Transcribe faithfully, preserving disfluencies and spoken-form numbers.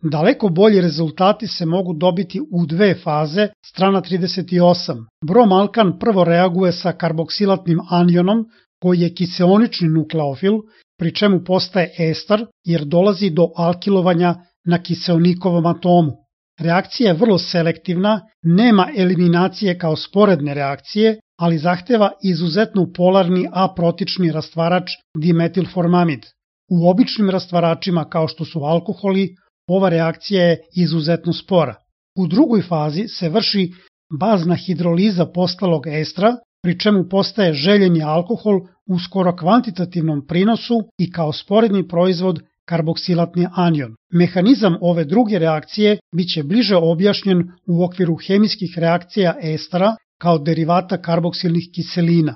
Daleko bolji rezultati se mogu dobiti u dve faze, strana trideset osam. Bromalkan prvo reaguje sa karboksilatnim anionom, koji je kiseonični nukleofil, pri čemu postaje ester jer dolazi do alkilovanja na kiseonikovom atomu. Reakcija je vrlo selektivna, nema eliminacije kao sporedne reakcije, ali zahteva izuzetno polarni aprotični rastvarač dimetilformamid. U običnim rastvaračima kao što su alkoholi, ova reakcija je izuzetno spora. U drugoj fazi se vrši bazna hidroliza postalog estra, pri čemu postaje željeni alkohol u skoro kvantitativnom prinosu i kao sporedni proizvod karboksilatni anion. Mehanizam ove druge reakcije biće bliže objašnjen u okviru hemijskih reakcija estera kao derivata karboksilnih kiselina.